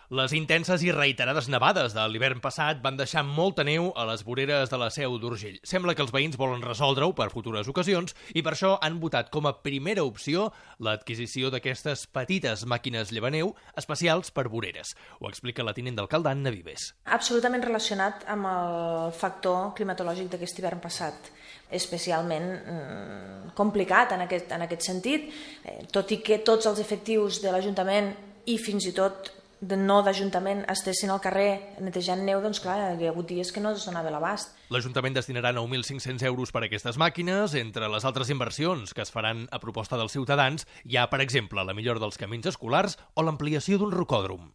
Les intenses i reiterades nevades de l'hivern passat van deixar molta neu a les voreres de la Seu d'Urgell. Sembla que els veïns volen resoldre-ho per futures ocasions i per això han votat com a primera opció l'adquisició d'aquestes petites màquines llevaneu especials per voreres. Ho explica la tinent d'alcalde Anna Vives. Absolutament relacionat amb el factor climatològic d'aquest hivern passat. Especialment complicat en aquest sentit, tot i que tots els efectius de l'Ajuntament i fins i tot de no d'Ajuntament estessin al carrer netejant neu, doncs clar, hi ha hagut dies que no es donava l'abast. L'Ajuntament destinarà 9.500 euros per a aquestes màquines. Entre les altres inversions que es faran a proposta dels ciutadans hi ha, per exemple, la millora dels camins escolars o l'ampliació d'un rocòdrom.